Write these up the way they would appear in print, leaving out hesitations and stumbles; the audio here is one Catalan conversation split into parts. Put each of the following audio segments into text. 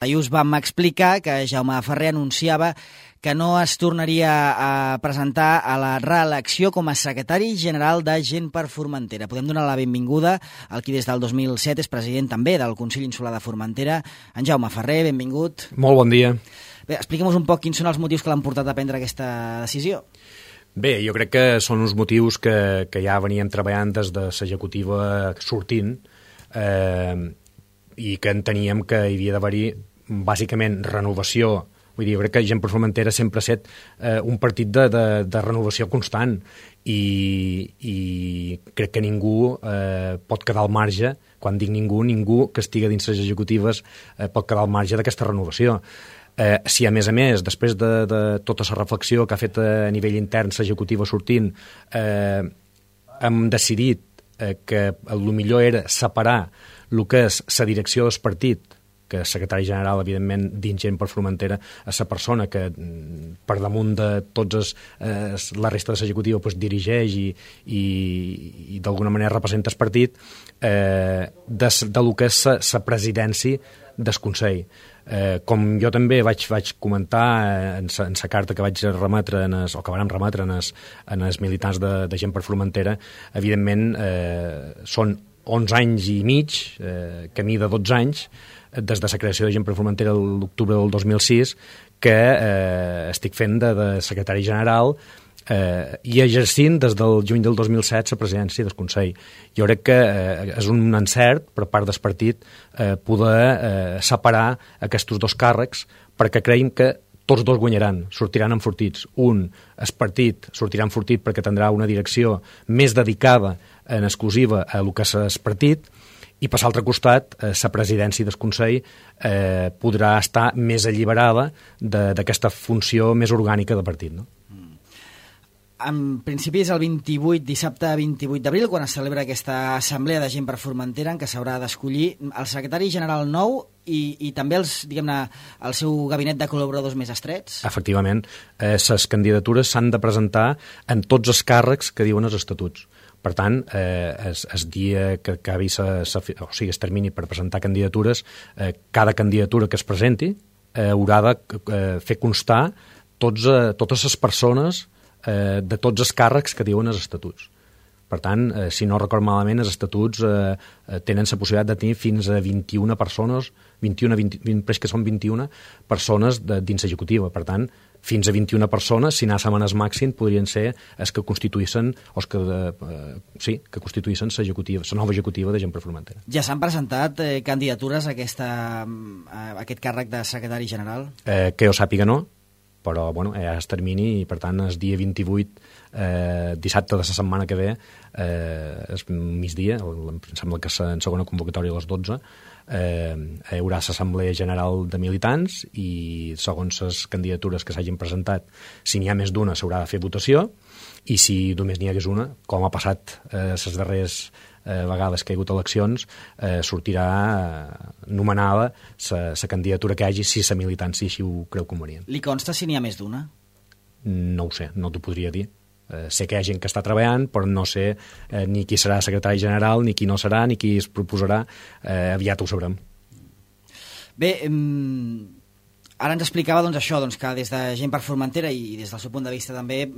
Us vam explicar que Jaume Ferrer anunciava que no es tornaria a presentar a la reelecció com a secretari general de Gent per Formentera. Podem donar la benvinguda al qui des del 2007 és president també del Consell Insular de Formentera, en Jaume Ferrer, benvingut. Molt bon dia. Bé, expliquem-nos un poc quins són els motius que l'han portat a prendre aquesta decisió. Bé, jo crec que són uns motius que ja veníem treballant des de l'executiva sortint i que enteníem que hi havia d'haver-hi bàsicament renovació. Vull dir, jo crec que Gent per Formentera sempre ha estat un partit de renovació constant i crec que ningú pot quedar al marge, quan dic ningú que estigui dins les executives pot quedar al marge d'aquesta renovació. Si a més, després de tota la reflexió que ha fet a nivell intern l'executiva sortint, hem decidit que el millor era separar el que és la direcció del partit, que el secretari general, evidentment, dins Gent per Formentera, és la persona que per damunt de tots la resta de l'executiva dirigeix i d'alguna manera representa el partit, del que és la presidència del Consell. Com jo també vaig comentar en la carta que vaig remetre o que vam remetre en els militants de Gent per Formentera, evidentment són 11 anys i mig, camí de 12 anys, des de la creació de Gent per Formentera l'octubre del 2006, que estic fent de secretari general i exercint des del juny del 2007 la presidència del Consell. Jo crec que és un encert per part del partit poder separar aquests dos càrrecs, perquè creiem que tots dos guanyaran, sortiran enfortits. Un, el partit, sortirà enfortit perquè tindrà una direcció més dedicada en exclusiva a el que és el partit, i per l'altre costat, la presidència del Consell podrà estar més alliberada d'aquesta funció més orgànica del partit, no? En principi és el dissabte 28 d'abril, quan es celebra aquesta assemblea de Gent per Formentera, en què s'haurà d'escollir el secretari general nou i també el seu gabinet de col·laboradors més estrets. Efectivament, les candidatures s'han de presentar en tots els càrrecs que diuen els estatuts. Per tant, el dia que acabi el termini per presentar candidatures, cada candidatura que es presenti haurà de fer constar totes les persones de tots els càrrecs que diuen els estatuts. Per tant, si no record malament, els estatuts tenen la possibilitat de tenir fins a 21 persones, que són 21 persones dins l'executiva. Per tant, fins a 21 persones, si anàssim en el màxim, podrien ser els que constituïssin que constituïssin la nova executiva de Gent per Formentera. Ja s'han presentat candidatures a aquest càrrec de secretari general? Que jo sàpiga no, però ja es termini i per tant el dia 28, dissabte de la setmana que ve, és migdia, em sembla que és en segona convocatòria a les 12, hi haurà l'assemblea general de militants i segons les candidatures que s'hagin presentat, si n'hi ha més d'una s'haurà de fer votació i si només n'hi hagués una, com ha passat les darreres vegades que hi ha hagut eleccions, sortirà nomenada la candidatura que hi hagi si la militància així ho creu convenient. Li consta si n'hi ha més d'una? No ho sé, no t'ho podria dir. Sé que hi ha gent que està treballant, però no sé ni qui serà secretari general, ni qui no serà, ni qui es proposarà. Aviat ho sabrem. Bé, ara ens explicava això, que des de Gent per Formentera i des del seu punt de vista també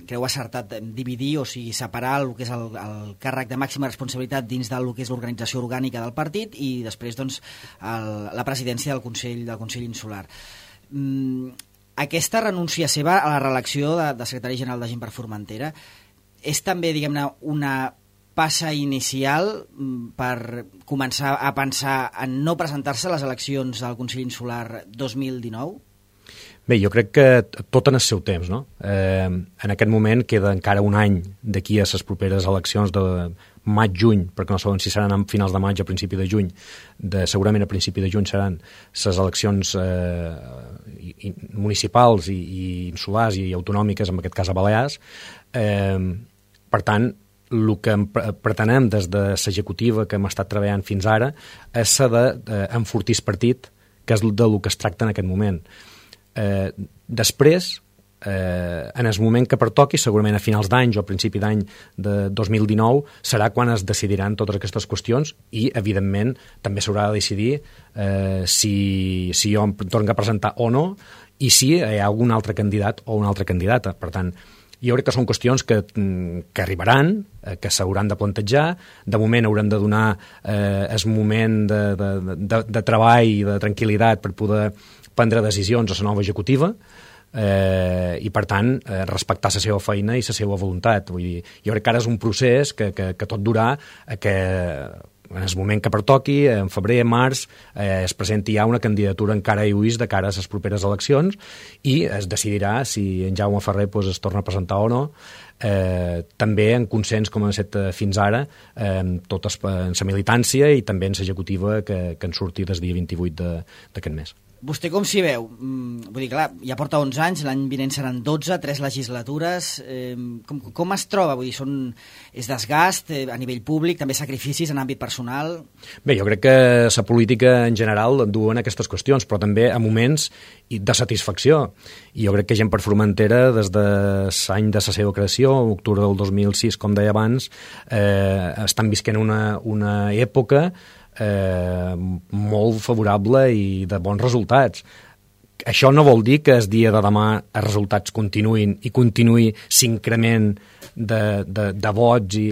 creu acertat dividir, o sigui, separar el que és el càrrec de màxima responsabilitat dins del que és l'organització orgànica del partit i després la presidència del Consell Insular. Aquesta renúncia seva a la reelecció de secretari general de Gent per Formentera és també, una passa inicial per començar a pensar en no presentar-se a les eleccions del Consell Insular 2019? Bé, jo crec que tot en el seu temps, no? En aquest moment queda encara un any d'aquí a les properes eleccions de maig-juny, perquè no sabem si seran a finals de maig o a principi de juny, segurament a principi de juny seran les eleccions municipals i insulars i autonòmiques, en aquest cas a Balears. Per tant, el que pretenem des de l'executiva que hem estat treballant fins ara és d'enfortir el partit, que és del que es tracta en aquest moment. Després, en el moment que pertoqui, segurament a finals d'any o a principi d'any de 2019, serà quan es decidiran totes aquestes qüestions i, evidentment, també s'haurà de decidir si jo em torno a presentar o no i si hi ha algun altre candidat o una altra candidata. Per tant, jo crec que són qüestions que arribaran, que s'hauran de plantejar. De moment haurem de donar el moment de treball i de tranquil·litat per poder prendre decisions a la nova executiva i, per tant, respectar la seva feina i la seva voluntat. Vull dir, jo crec que ara és un procés que tot durà que en el moment que pertoqui, en febrer, març, es presenti ja una candidatura encara a lluís de cara a les properes eleccions i es decidirà si en Jaume Ferrer es torna a presentar o no, també en consens com ha estat fins ara, totes en la militància i també en l'executiva que en surti des dia 28 d'aquest mes. Vostè com s'hi veu? Vull dir, clar, ja porta 11 anys, l'any vinent seran 12, 3 legislatures. Com es troba? Vull dir, és desgast a nivell públic, també sacrificis en àmbit personal? Bé, jo crec que la política en general duen aquestes qüestions, però també a moments de satisfacció. I jo crec que Gent per Formentera, des de l'any de la seva creació, octubre del 2006, com deia abans, estan visquent una època molt favorable i de bons resultats. Això no vol dir que el dia de demà els resultats continuïn i continuï l'increment de vots i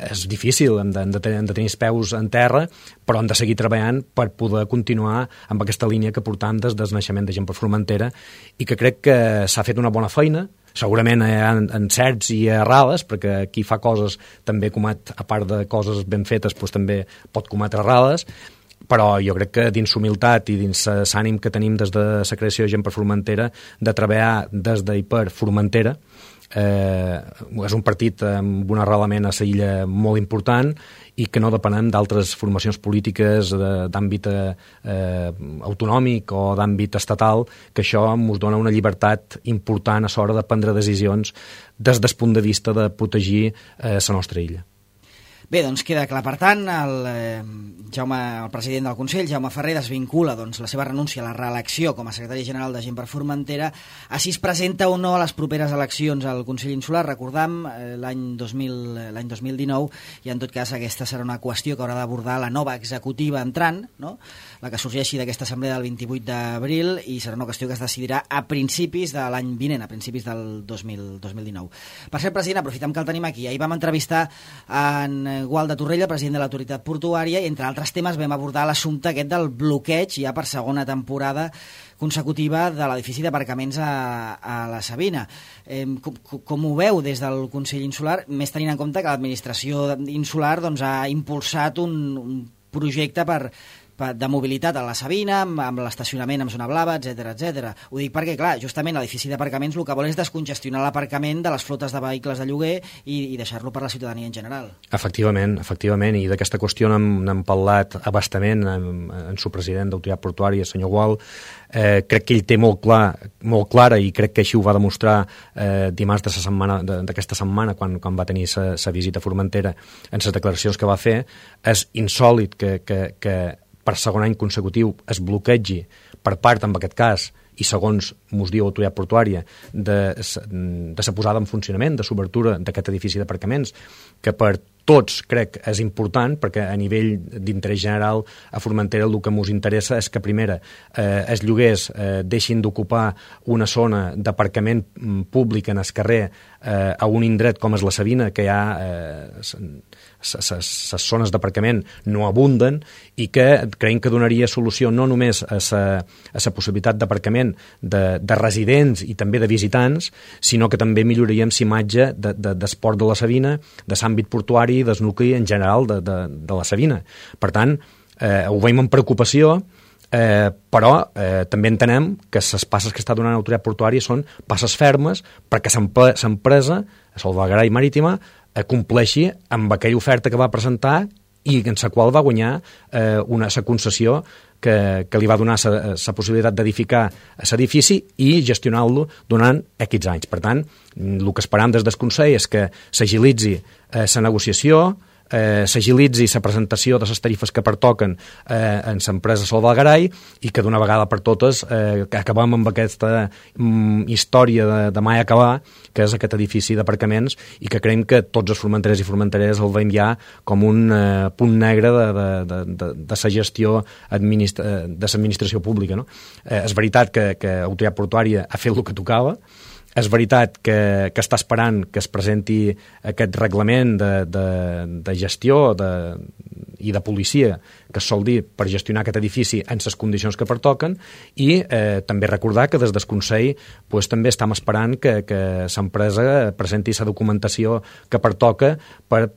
és difícil, hem de tenir els peus en terra, però hem de seguir treballant per poder continuar amb aquesta línia que portam des del naixement de Gent per Formentera i que crec que s'ha fet una bona feina. Segurament hi ha encerts i errades, perquè qui fa coses també comet, a part de coses ben fetes, doncs també pot cometre errades, però jo crec que dins humilitat i dins l'ànim que tenim des de la creació de Gent per Formentera de treballar des i per Formentera, és un partit amb un arrelament a l'illa molt important i que no depenem d'altres formacions polítiques d'àmbit autonòmic o d'àmbit estatal, que això ens dona una llibertat important a l'hora de prendre decisions des del punt de vista de protegir la nostra illa. Bé, doncs queda clar. Per tant, el president del Consell, Jaume Ferrer, desvincula la seva renúncia a la reelecció com a secretari general de Gent per Formentera. Així es presenta o no a les properes eleccions al Consell Insular. Recordam, l'any 2019, i en tot cas aquesta serà una qüestió que haurà d'abordar la nova executiva entrant, no? La que sorgeixi d'aquesta assemblea del 28 d'abril, i serà una qüestió que es decidirà a principis de l'any vinent, a principis del 2019. Per cert, president, aprofitem que el tenim aquí. Ahir vam entrevistar en Gualda Torrella, president de l'autoritat portuària, i entre altres temes vam abordar l'assumpte aquest del bloqueig ja per segona temporada consecutiva de l'edifici d'aparcaments a la Sabina. Com ho veu des del Consell Insular, més tenint en compte que l'administració insular ha impulsat un projecte de mobilitat a la Sabina, amb l'estacionament en zona blava, etc. Ho dic perquè, clar, justament l'edifici d'aparcaments el que vol és descongestionar l'aparcament de les flotes de vehicles de lloguer i deixar-lo per la ciutadania en general. Efectivament, i d'aquesta qüestió n'hem parlat abastament amb el president d'autoritat portuària, el senyor Gual. Crec que ell té molt clara, i crec que així ho va demostrar dimarts d'aquesta setmana quan va tenir sa visita a Formentera, en les declaracions que va fer. És insòlit que per segon any consecutiu es bloquegi per part, en aquest cas, i segons mos diu l'autoritat portuària, de la posada en funcionament, de l'obertura d'aquest edifici d'aparcaments, que per tots crec és important, perquè a nivell d'interès general a Formentera el que ens interessa és que, primera, els lloguers deixin d'ocupar una zona d'aparcament públic en el carrer a un indret com és la Sabina, que hi ha les zones d'aparcament no abunden, i que creiem que donaria solució no només a la possibilitat d'aparcament de residents i també de visitants, sinó que també milloraríem l'imatge d'esport de la Sabina, de l'àmbit portuari i del nucli en general de la Sabina. Per tant, ho veiem amb preocupació, però també entenem que les passes que està donant l'autoritat portuària són passes fermes perquè l'empresa, Salvaguarda Marítima, compleixi amb aquella oferta que va presentar i en la qual va guanyar la concessió que li va donar la possibilitat d'edificar l'edifici i gestionar-lo durant X anys. Per tant, el que esperam des del Consell és que s'agilitzi la negociació, s'agilitzi la presentació de les tarifes que pertoquen en l'empresa Sol del Garai i que d'una vegada per totes acabem amb aquesta història de mai acabar, que és aquest edifici d'aparcaments, i que creiem que tots els formenterers i formenteres el veiem ja com un punt negre de la gestió de l'administració pública, no? És veritat que Autoritat Portuària ha fet el que tocava, és veritat que està esperant que es presenti aquest reglament de gestió i de policia que es sol dir per gestionar aquest edifici en les condicions que pertoquen, i també recordar que des del Consell també estem esperant que l'empresa presenti la documentació que pertoca per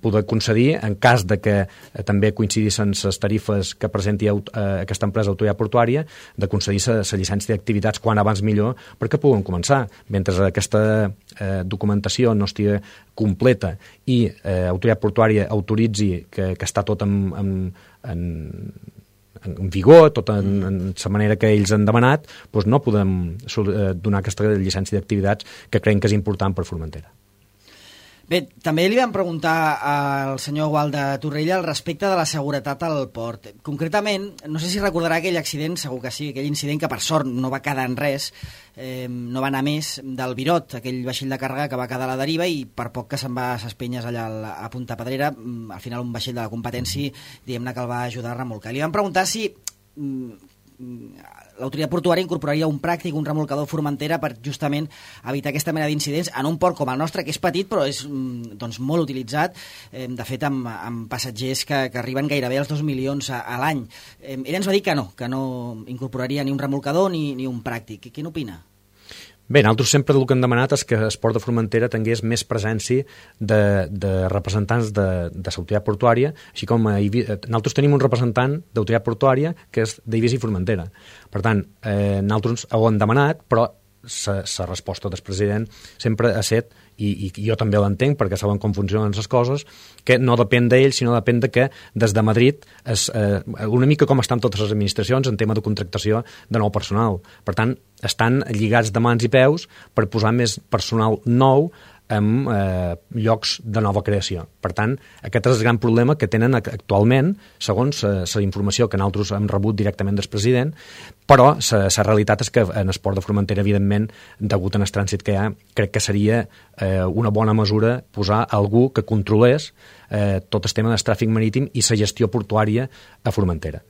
poder concedir, en cas de que també coincidissin les tarifes que presenti aquesta empresa Autoritat Portuària, de concedir la llicència d'activitats quan abans millor perquè puguen començar. Mentre aquesta documentació no estigui completa i Autoritat Portuària autoritzi que està tot en vigor, tot en la manera que ells han demanat, doncs no podem donar aquesta llicència d'activitats que creiem que és important per Formentera. Bé, també li vam preguntar al senyor Gualda Torrella al respecte de la seguretat al port. Concretament, no sé si recordarà aquell accident, segur que sí, aquell incident que per sort no va quedar en res, no va anar més, del Virot, aquell vaixell de càrrega que va quedar a la deriva i per poc que se'n va a ses penyes allà a Punta Pedrera, al final un vaixell de la competència, diguem-ne que el va ajudar a remolcar. Li vam preguntar si l'autoritat portuària incorporaria un pràctic, un remolcador Formentera per justament evitar aquesta mena d'incidents en un port com el nostre, que és petit però és doncs, molt utilitzat, de fet amb passatgers que arriben gairebé als 2 milions a l'any. Ell ens va dir que no incorporaria ni un remolcador ni un pràctic. Què n'opina? Bé, nosaltres sempre el que hem demanat és que el port de Formentera tingués més presència de representants de l'autoritat portuària, així com nosaltres tenim un representant d'autoritat portuària que és d'Eivissa i Formentera. Per tant, nosaltres ho hem demanat, però la resposta del president sempre ha estat, i jo també l'entenc perquè saben com funcionen les coses, que no depèn d'ell, sinó depèn de que des de Madrid una mica com estan totes les administracions en tema de contractació de nou personal. Per tant, estan lligats de mans i peus per posar més personal nou en llocs de nova creació. Per tant, aquest és el gran problema que tenen actualment, segons la informació que nosaltres hem rebut directament del president, però la realitat és que en el port de Formentera, evidentment, degut al trànsit que hi ha, crec que seria una bona mesura posar algú que controlés tot el tema del tràfic marítim i la gestió portuària a Formentera.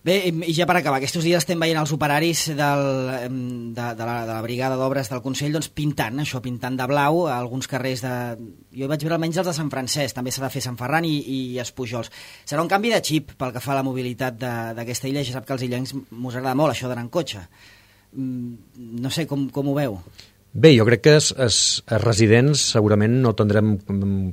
Bé, i ja per acabar, aquests dies estem veient els operaris de la brigada d'obres del Consell doncs, pintant de blau a alguns carrers jo vaig veure almenys els de Sant Francesc, també s'ha de fer Sant Ferran i Espujols. Serà un canvi de xip pel que fa a la mobilitat d'aquesta illa, ja sap que als illencs mos agrada molt això d'anar en cotxe. No sé, com ho veu? Bé, jo crec que els residents segurament no tindrem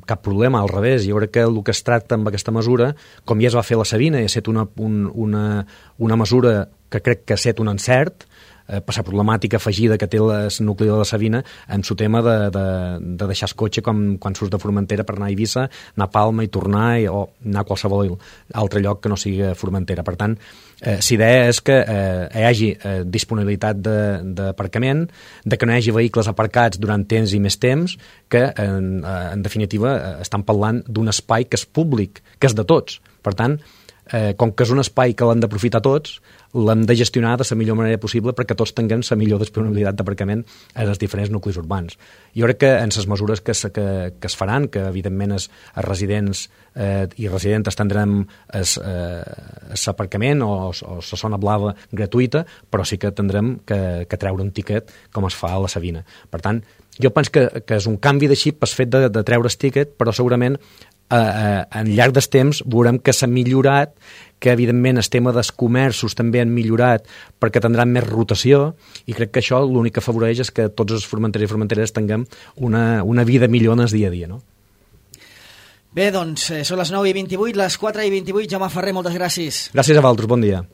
cap problema, al revés. Jo crec que el que es tracta amb aquesta mesura, com ja es va fer la Sabina, i ha estat una mesura que crec que ha estat un encert, per la problemàtica afegida que té el nucli de la Sabina amb el tema de deixar el cotxe quan surts de Formentera per anar a Eivissa, anar a Palma i tornar, o anar a qualsevol altre lloc que no sigui Formentera. Per tant, l'idea és que hi hagi disponibilitat d'aparcament, de que no hi hagi vehicles aparcats durant temps i més temps, que en definitiva estan parlant d'un espai que és públic, que és de tots. Per tant, com que és un espai que l'hem d'aprofitar tots, l'hem de gestionar de la millor manera possible perquè tots tinguem la millor disponibilitat d'aparcament en els diferents nuclis urbans. Jo crec que en les mesures que es faran, que evidentment els residents i residentes tindrem l'aparcament o la zona blava gratuïta, però sí que tindrem que treure un tiquet com es fa a la Sabina. Per tant, jo penso que és un canvi de xip el fet de treure el tiquet, però segurament en llarg dels temps veurem que s'ha millorat, que evidentment el tema dels comerços també han millorat perquè tindran més rotació, i crec que això l'únic que afavoreix és que tots els formenteres i formenteres tinguem una vida millor en el dia a dia, no? Bé, doncs, són les 9:28, les 4:28. Jaume Ferrer, moltes gràcies. Gràcies a vosaltres, bon dia.